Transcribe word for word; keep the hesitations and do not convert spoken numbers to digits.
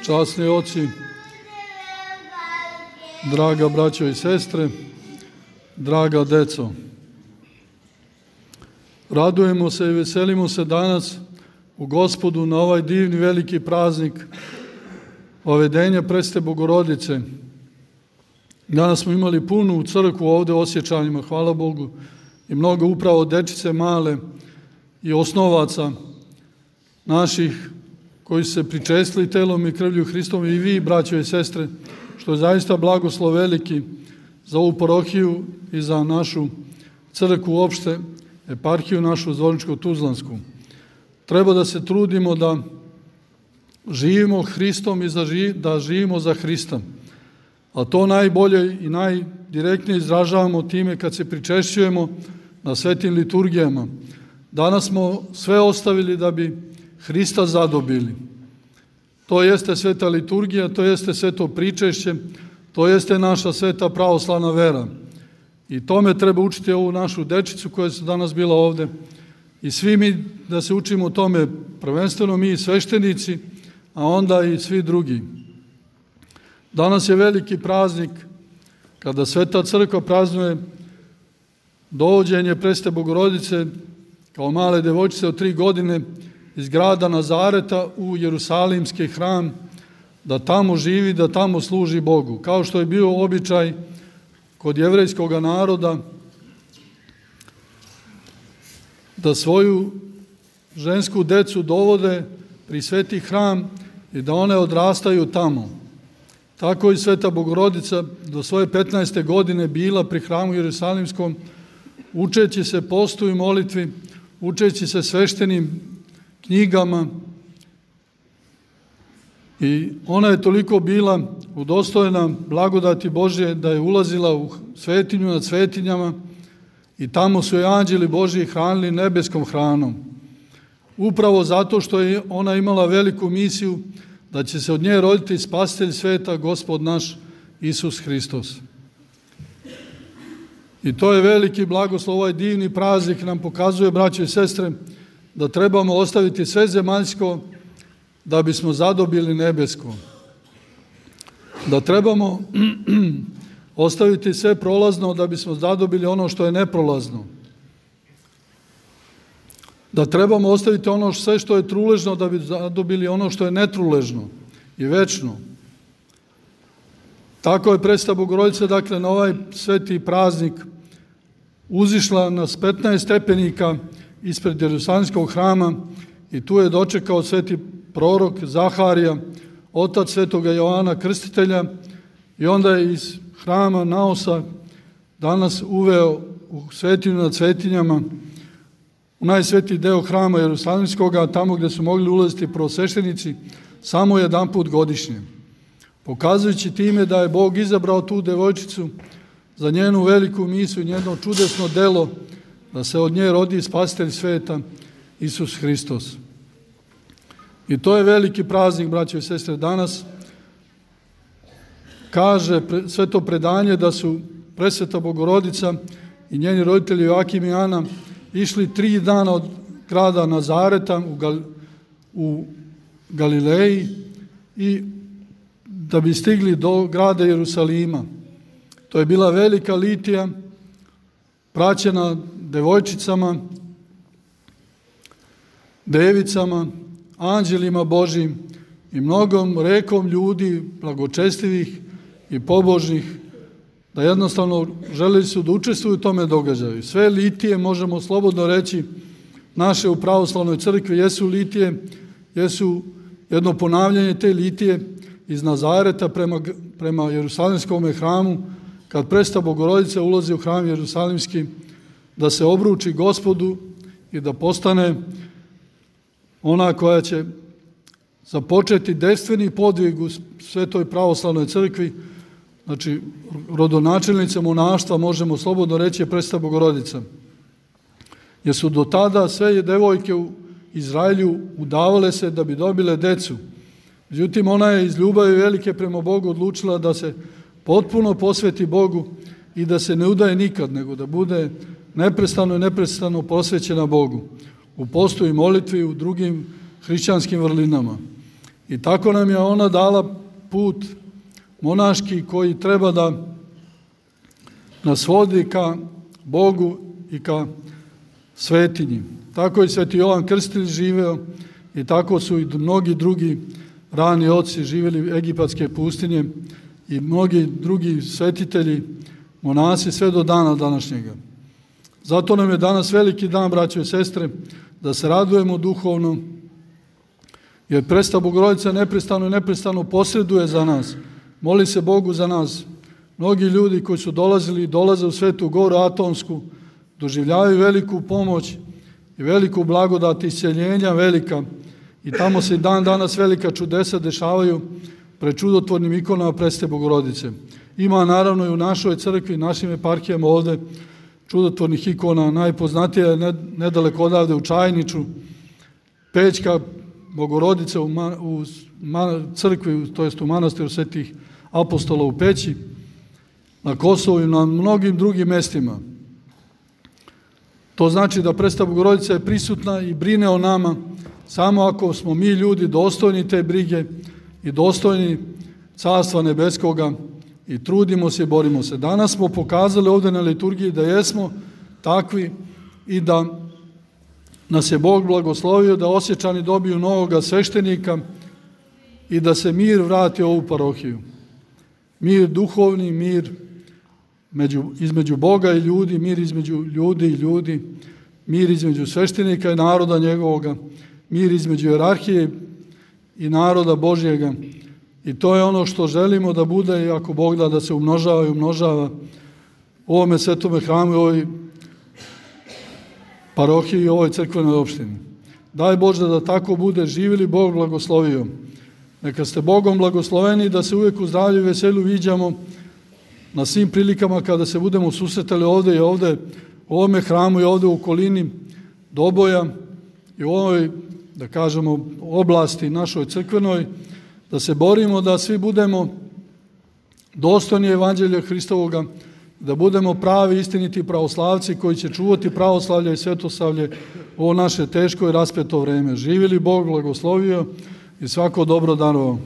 časni oci, draga braćo i sestre, draga deco. Radujemo se i veselimo se danas u Gospodu na ovaj divni veliki praznik Vavedenja Presvete Bogorodice. Danas smo imali punu crkvu ovde u Osječanima, hvala Bogu, i mnogo upravo dečice male i osnovaca naših koji su se pričestili telom i krvlju Hristovom, i vi, braćo i sestre, što je zaista blagoslov veliki za ovu parohiju i za našu crkvu uopšte, eparhiju našu Zvorničko-Tuzlansku. Treba da se trudimo da živimo Hristom i da živimo za Hrista. A to najbolje i najdirektnije izražavamo time kad se pričešćujemo na svetim liturgijama. Danas smo sve ostavili da bi Hrista zadobili. To jeste sveta liturgija, to jeste sveto pričešće, to jeste naša sveta pravoslavna vera. I tome treba učiti ovu našu dečicu koja su danas bila ovde. I svi mi da se učimo tome, prvenstveno mi sveštenici, a onda i svi drugi. Danas je veliki praznik kada Sveta Crkva praznuje dovođenje Presvete Bogorodice kao male devojčice od tri godine iz grada Nazareta u Jerusalimski hram, da tamo živi, da tamo služi Bogu. Kao što je bio običaj kod jevrejskog naroda da svoju žensku decu dovode pri sveti hram i da one odrastaju tamo. Tako i Sveta Bogorodica do svoje petnaeste godine bila pri hramu Jerusalimskom, učeći se postu i molitvi, učeći se sveštenim knjigama, i ona je toliko bila udostojena blagodati Božje da je ulazila u svetinju nad svetinjama i tamo su je anđeli Božji hranili nebeskom hranom. Upravo zato što je ona imala veliku misiju da će se od nje roditi spasitelj sveta, Gospod naš Isus Hristos. I to je veliki blagoslov, ovaj divni praznik nam pokazuje, braćo i sestre, da trebamo ostaviti sve zemaljsko da bismo zadobili nebesko. Da trebamo ostaviti sve prolazno da bismo zadobili ono što je neprolazno. Da trebamo ostaviti ono sve što je truležno da bi zadobili ono što je netruležno i večno. Tako je Presveta Bogorodica, dakle, na ovaj sveti praznik uzišla nas petnaest stepenika ispred Jerusalimskog hrama i tu je dočekao sveti prorok Zaharija, otac svetoga Joana Krstitelja, i onda je iz hrama Naosa danas uveo u svetinju nad svetinjama, u najsvetiji deo hrama Jerusalimskoga, tamo gde su mogli ulaziti prvosveštenici samo jedan put godišnje. Pokazujući time da je Bog izabrao tu devojčicu za njenu veliku misiju, njeno čudesno delo, da se od nje rodi spasitelj sveta, Isus Hristos. I to je veliki praznik, braćo i sestre, danas. Kaže sveto predanje da su Presveta Bogorodica i njeni roditelji Joakim i Ana išli tri dana od grada Nazareta u, Gal, u Galileji i da bi stigli do grada Jerusalima. To je bila velika litija, praćena devojčicama, devicama, anđelima Božjim i mnogom rekom ljudi blagočestivih i pobožnih, da jednostavno želeli su da učestvuju u tome događaju. Sve litije, možemo slobodno reći, naše u pravoslavnoj crkvi jesu litije, jesu jedno ponavljanje te litije iz Nazareta prema, prema Jerusalimskom hramu, kad Presveta Bogorodica ulazi u hram Jerusalimski, da se obruči Gospodu i da postane ona koja će započeti dejstveni podvig u Svetoj pravoslavnoj crkvi, znači rodonačelnica monaštva, možemo slobodno reći, je Presveta Bogorodica. Jer su do tada sve devojke u Izraelju udavale se da bi dobile decu. Međutim, ona je iz ljubavi velike prema Bogu odlučila da se potpuno posveti Bogu i da se ne udaje nikad, nego da bude neprestano i neprestano posvećena Bogu u postu i molitvi, u drugim hrišćanskim vrlinama. I tako nam je ona dala put monaški koji treba da nas vodi ka Bogu i ka svetinji. Tako je Sveti Jovan Krstitelj živeo i tako su i mnogi drugi rani oci živjeli egipatske pustinje i mnogi drugi svetitelji, monasi sve do dana današnjega. Zato nam je danas veliki dan, braćo i sestre, da se radujemo duhovno, jer Presveta Bogorodica neprestano i neprestano posreduje za nas. Moli se Bogu za nas. Mnogi ljudi koji su dolazili i dolaze u Svetu Goru Atonsku doživljavaju veliku pomoć i veliku blagodat isceljenja velika i tamo se i dan danas velika čudesa dešavaju pred čudotvornim ikonama Presvete Bogorodice. Ima naravno i u našoj crkvi, našim eparhijama ovde čudotvornih ikona. Najpoznatija je nedaleko odavde u Čajniču Pećka Bogorodice u, man, u man, crkvi, to jest u manastiru Svetih apostola u Peći, na Kosovu i na mnogim drugim mestima. To znači da Presveta Bogorodica je prisutna i brine o nama samo ako smo mi ljudi dostojni te brige i dostojni Carstva nebeskoga i trudimo se i borimo se. Danas smo pokazali ovdje na liturgiji da jesmo takvi i da nas je Bog blagoslovio da Osječani dobiju novoga sveštenika i da se mir vrati u ovu parohiju. Mir duhovni, mir među, između Boga i ljudi, mir između ljudi i ljudi, mir između sveštenika i naroda njegovoga, mir između jerarhije i naroda Božjega. I to je ono što želimo da bude i ako Bog da da se umnožava i umnožava u ovome svetome hramu i ovoj parohiji i ovoj crkvenoj opštini. Daj Bože da tako bude, živili Bog blagoslovio. Neka ste Bogom blagosloveni da se uvijek u zdravlju i veselju viđamo na svim prilikama kada se budemo susretali ovdje i ovdje u ovome hramu i ovdje u okolini Doboja i u ovoj, da kažemo, oblasti našoj crkvenoj, da se borimo da svi budemo dostojni Evanđelja Hristovoga, da budemo pravi istiniti pravoslavci koji će čuvati pravoslavlje i svetoslavlje u ovo naše teško i raspeto vreme. Živili Bog blagoslovio i svako dobro darovao.